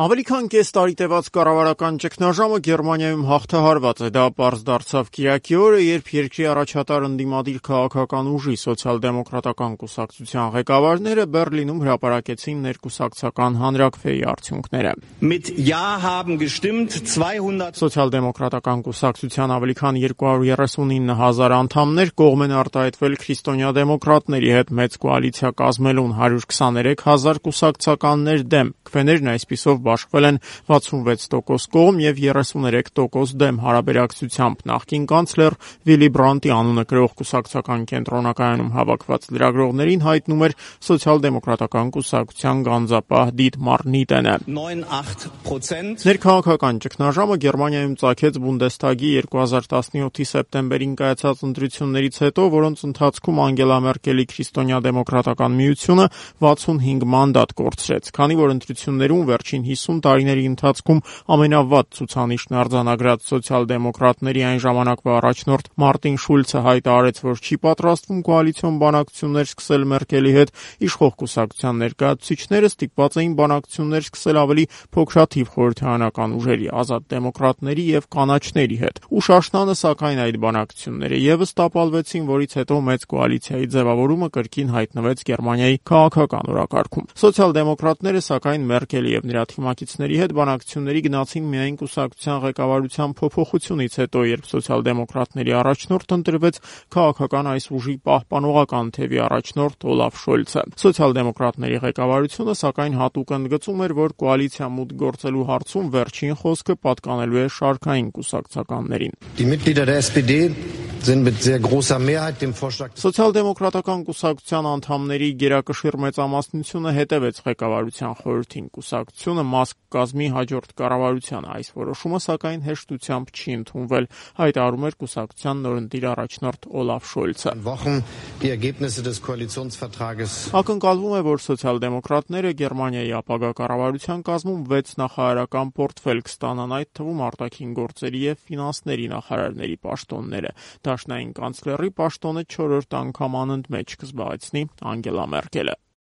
Ավելի քան կես տարի տևած կառավարական ճգնաժամը Գերմանիայում հաղթահարված է։ Դա պարզ դարձավ կիրակի օրը, երբ երկրի առաջատար ընդդիմադիր քաղաքական ուժի սոցիալ-դեմոկրատական կուսակցության ղեկավարները Բեռլինում հրապարակեցին ներկուսակցական հանրաքվեի արդյունքները։ Սոցիալ-դեմոկրատական կուսակցության ավելի քան 239,000 անդամներ կողմ են արտահայտվել քրիստոնյա դեմոկրատների հետ մեծ կոալիցիա կազմելուն, 123,000 կուսակցականներ դեմ։ Քվեներն այսպիսով բաշխվել են 66% կողմ և 33% դեմ հարաբերակցությամբ։ Նախկին կանցլեր Վիլի Բրանդտի անունը կրող կուսակցական կենտրոնակայանում հավաքված լրագրողներին հայտնում էր սոցիալ-դեմոկրատական կուսակցության գանձապահ Դիտմար Նիտենը։ Ներքաղաքական ճգնաժամը Գերմանիայում ծագեց Բունդեսթագի 2017-ի սեպտեմբերին կայացած ընտրություններից հետո, որոնց ընթացքում Անգելա Մերկելի քրիստոնյա դեմոկրատական միությունը 65 մանդատ կորցրեց, քանի որ ընտրություններում վերջին 50 տարիների ընթացքում ամենավատ ցուցանիշն արձանագրած սոցիալ-դեմոկրատների այն ժամանակվա առաջնորդ Մարտին Շուլցը հայտարարեց, որ չի պատրաստվում կոալիցիոն բանակցություններ սկսել Մերկելի հետ, իշխող կուսակցության ներկայացուցիչները ստիպված էին բանակցություններ սկսել ավելի փոքրաթիվ խորհրդարանական ուժերի, ազատ դեմոկրատների և կանաչների հետ։ Ուշ աշնանը, սակայն, այդ բանակցությունները ևս տապալվեցին, որից հետո մեծ կոալիցիայի ձևավորումը կրկին հայտնվեց Գերմանիայի քաղաքական օրակարգում։ Սոցիալ-դեմոկրատները, սակայն, Մերկելի և նրա թիմակիցների հետ բանակցությունների գնացին միայն կուսակցության ղեկավարության փոփոխությունից հետո, երբ սոցիալ-դեմոկրատների առաջնորդ ընտրվեց քաղաքական այս ուժի պահպանողական թևի առաջնորդ Օլաֆ Շոլցը։ Սոցիալ-դեմոկրատների ղեկավարությունը, սակայն, հատուկ ընդգծում էր, որ կոալիցիա մուտք գործելու հարցում վերջին խոսքը պատկանելու է շարքային կուսակցականներին։ Սոցիալ-դեմոկրատական կուսակցության անդամների գերակշիռ մեծամասնությունը հետևեց ղեկավարության խորհրդին։ Կուսակցությունը մաս կկազմի հաջորդ կառավարությանը։ Այս որոշումը, սակայն, հեշտությամբ չի ընդունվել, հայտարարում էր կուսակցության նորընտիր առաջնորդ Օլաֆ Շոլցը։ Ակնկալվում է, որ սոցիալ-դեմոկրատները Գերմանիայի ապագա կառավարության կազմում 6 նախարարական պորտֆել կստանան, այդ թվում արտաքին գործերի և ֆինանսների նախարարների պաշտոնները։ Դաշնային կանցլերի պաշտոնը 4-րդ անգամ անընդմեջ կզբաղեցնի Անգելա Մերկելը։